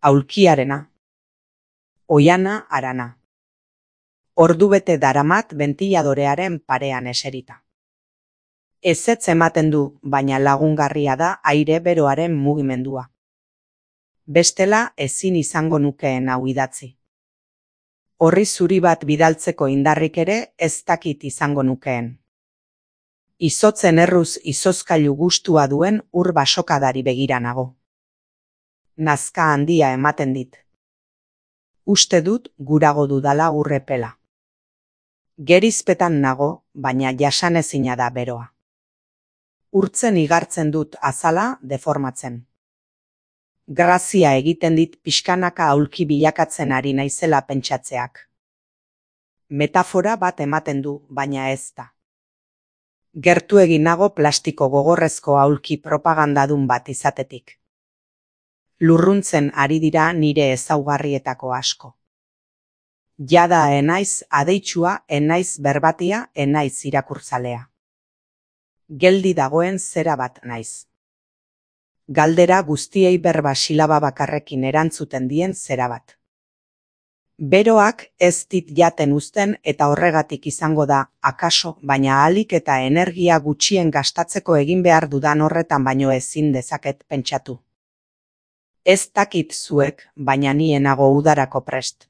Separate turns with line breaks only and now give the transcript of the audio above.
Aulkiarena. Oiana harana. Ordubete daramat bentiladorearen parean eserita. Ezetz ematen du, baina lagungarria da aire beroaren mugimendua. Bestela ezin izango nukeen hau idatzi. Orri zuri bat bidaltzeko indarrik ere ez dakit izango nukeen. Izotzen erruz izozkailu gustua duen ur basokadari begira nago. Nazka handia ematen dit. Uste dut gurago dudala urrepela. Gerizpetan nago, baina jasanezina da beroa. Urtzen igartzen dut azala deformatzen. Grazia egiten dit pixkanaka aulki bilakatzen ari naizela pentsatzeak. Metafora bat ematen du, baina ez da. Gertu egin nago plastiko gogorrezko aulki propagandadun bat izatetik. Lurruntzen ari dira nire ezaugarrietako asko. Jada enaiz adeitsua, enaiz berbatia, enaiz irakurtzalea. Geldi dagoen zera bat naiz. Galdera guztiei berba silaba bakarrekin erantzuten dien zera bat. Beroak ez dit jaten uzten eta horregatik izango da, akaso, baina ahalik eta energia gutxien gastatzeko egin behar dudan horretan baino ezin dezaket pentsatu. Ez dakit zuek, baina ni enago udarako prest.